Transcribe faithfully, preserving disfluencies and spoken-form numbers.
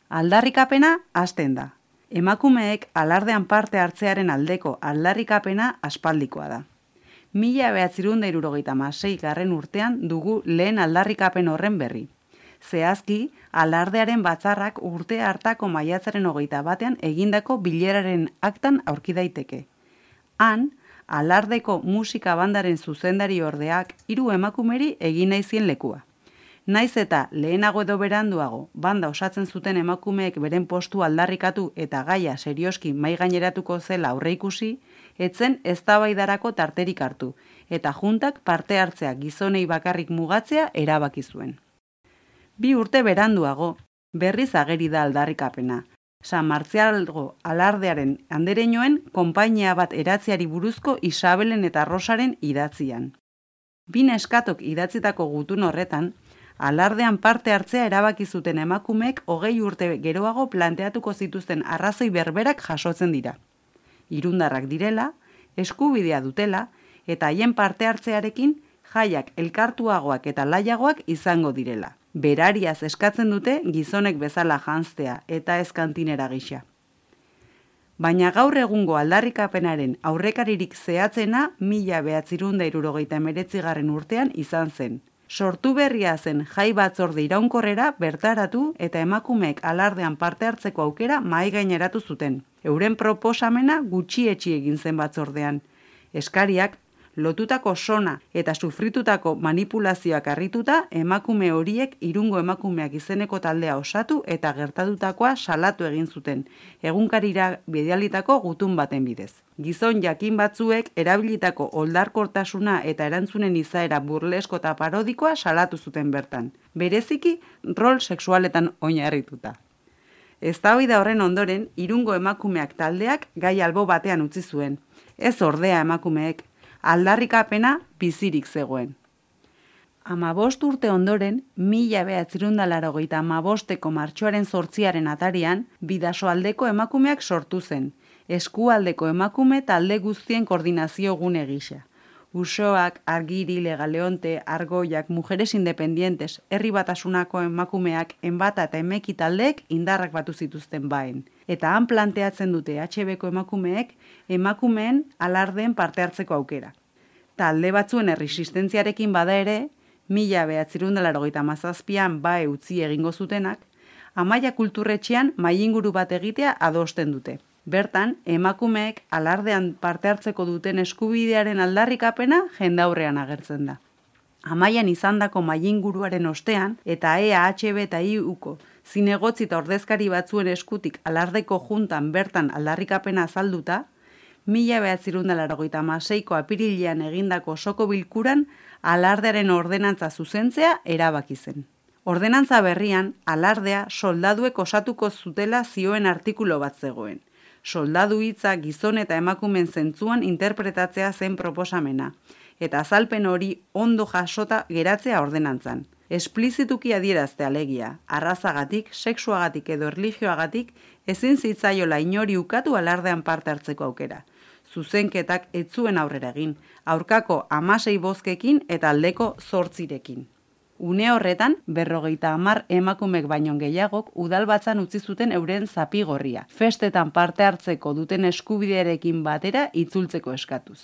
Aldarrikapena hasten da. Emakumeek alardean parte hartzearen aldeko aldarrikapena aspaldikoa da. Mila bederatziehun eta hirurogeita hamasei garren urtean dugu lehen aldarrikapen horren berri. Zehazki, alardearen batzarrak urte hartako maiatzaren hogeita batean egindako bileraren aktan aurki daiteke. Han, alardeko musika bandaren zuzendari ordeak hiru emakumeri egin nahi zien lekua. Naiz eta lehenago edo beranduago banda osatzen zuten emakumeek beren postu aldarrikatu eta gaia serioski mai gaineratuko zela aurreikusi, etzen eztabaidarako tarterik hartu, eta juntak parte hartzea gizonei bakarrik mugatzea erabaki zuen. Bi urte beranduago, berriz ageri da aldarrikapena. San Martzialgo alardearen andereñoen konpainia bat eratzeari buruzko Isabelen eta Rosaren idatzian. Bi neskatok idatzitako gutun horretan, alardean parte hartzea erabaki zuten emakumeek hogei urte geroago planteatuko zituzten arrazoi berberak jasotzen dira. Irundarrak direla, eskubidea dutela, eta haien parte hartzearekin jaiak elkartuagoak eta laiagoak izango direla. Berariaz eskatzen dute gizonek bezala janztea eta ez kantinera gisa. Baina gaur egungo aldarrikapenaren aurrekaririk zehatzena mila bederatziehun eta hirurogeita hemeretzigarren urtean izan zen. Sortu berria zen jai batzorde iraunkorrera bertaratu eta emakumeek alardean parte hartzeko aukera mahai gaineratu zuten. Euren proposamena gutxietsi egin zen batzordean. Eskariak, lotutako sona eta sufritutako manipulazioak harrituta, emakume horiek Irungo emakumeak izeneko taldea osatu eta gertatutakoa salatu egin zuten, egunkarira bidalitako gutun baten bidez. Gizon jakin batzuek erabilitako oldarkortasuna eta erantzunen izaera burlesko eta parodikoa salatu zuten bertan, bereziki rol sexualetan oinarrituta. Eztabaida horren ondoren, Irungo emakumeak taldeak gai albo batean utzi zuen. Ez ordea emakumeek, aldarrikapena bizirik zegoen. Hamabost urte ondoren, mila bederatziehun eta laurogeita hamabosteko martxoaren zortziaren atarian, Bidasoaldeko emakumeak sortu zen, eskualdeko emakume talde guztien koordinazio gune gisa. Usoak, Argiri, Legaleonte, Argoiak, Mujeres Independientes, Herri Batasunako emakumeak, Enbata eta Emeki taldeek indarrak batu zituzten baen. Eta han planteatzen dute H Bko emakumeek emakumeen alardeen parte hartzeko aukera. Talde batzuen erresistentziarekin bada ere, mila bederatziehun eta laurogeita hamazazpian bae utzi egingo zutenak, Amaia Kulturretxean mahai-inguru bat egitea adosten dute. Bertan, emakumeek alardean parte hartzeko duten eskubidearen aldarrikapena jendaurrean agertzen da. Amaian izandako mahai-inguruaren ostean eta E A H B eta I Uko zinegotzi eta ordezkari batzuen eskutik alardeko juntan bertan aldarrikapena azalduta, mila bederatziehun eta laurogeita hamaseiko apirilean egindako osoko bilkuran alardearen ordenantza zuzentzea erabaki zen. Ordenantza berrian, alardea soldaduek osatuko zutela zioen artikulu bat zegoen. Soldadu hitza gizon eta emakumen zentzuan interpretatzea zen proposamena, eta azalpen hori ondo jasota geratzea ordenantzan. Esplizituki adierazte alegia, arrazagatik, sexuagatik edo erlijioagatik ezin zitzaiola inori ukatu alardean parte hartzeko aukera. Zuzenketak ez zuen aurrera egin, aurkako hamasei bozkekin eta aldeko zortzirekin. Une horretan, berrogeita hamar emakumek baino gehiagok udalbatzan utzi zuten euren zapigorria, festetan parte hartzeko duten eskubidearekin batera itzultzeko eskatuz.